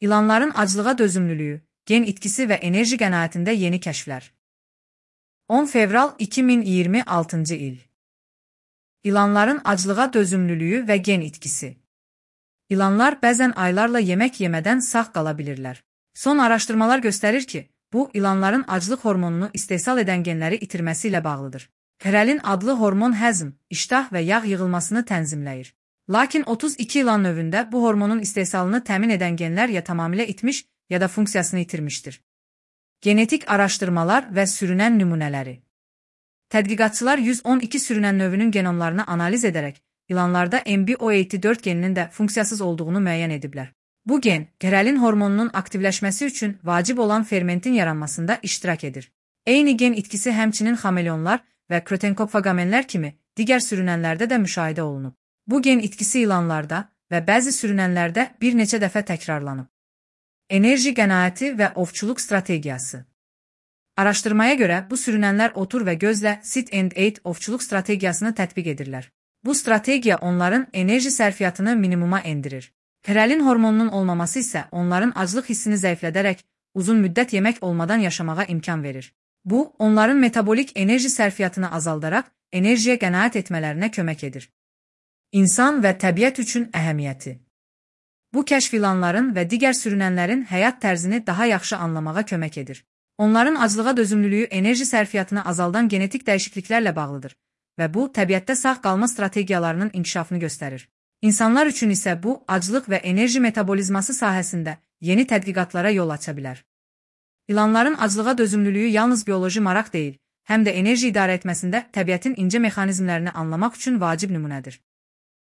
İlanların aclığa dözümlülüyü, gen itkisi ve enerji qənaətində yeni kəşflər. 10 fevral 2026 il. İlanların aclığa dözümlülüyü və gen itkisi. İlanlar bəzən aylarla yemək yemədən sağ qala bilirlər. Son araşdırmalar göstərir ki, bu, ilanların aclıq hormonunu istehsal edən genləri itirməsi ilə bağlıdır. Hrelin adlı hormon həzm, iştah və yağ yığılmasını tənzimləyir. Lakin 32 ilan növündə bu hormonun istehsalını təmin edən genlər ya tamamilə itmiş, ya da funksiyasını itirmişdir. Genetik araşdırmalar və sürünən nümunələri. Tədqiqatçılar 112 sürünən növünün genomlarını analiz edərək, ilanlarda MBO84 geninin də funksiyasız olduğunu müəyyən ediblər. Bu gen, hrelin hormonunun aktivləşməsi üçün vacib olan fermentin yaranmasında iştirak edir. Eyni gen itkisi həmçinin xameleonlar və krotenkopfagamenlər kimi digər sürünənlərdə də müşahidə olunub. Bu gen itkisi ilanlarda və bəzi sürünənlərdə bir neçə dəfə təkrarlanıb. Enerji qənaəti və ovçuluq strategiyası. Araşdırmaya görə bu sürünənlər otur və gözlə sit and eat ovçuluq strategiyasını tətbiq edirlər. Bu strategiya onların enerji sərfiyyatını minimuma endirir. Hrelin hormonunun olmaması isə onların aclıq hissini zəiflədərək uzun müddət yemək olmadan yaşamağa imkan verir. Bu, onların metabolik enerji sərfiyyatını azaldaraq enerjiyə qənaət etmələrinə kömək edir. İnsan və təbiət üçün əhəmiyyəti. Bu kəşf ilanların və digər sürünənlərin həyat tərzini daha yaxşı anlamağa kömək edir. Onların aclığa dözümlülüyü enerji sərfiyyatını azaldan genetik dəyişikliklərlə bağlıdır və bu, təbiətdə sağ qalma strategiyalarının inkişafını göstərir. İnsanlar üçün isə bu, aclıq və enerji metabolizması sahəsində yeni tədqiqatlara yol aça bilər. İlanların aclığa dözümlülüyü yalnız bioloji maraq deyil, həm də enerji idarə etməsində təbiətin incə mexanizmlərini anlamaq üçün vacib nümunədir.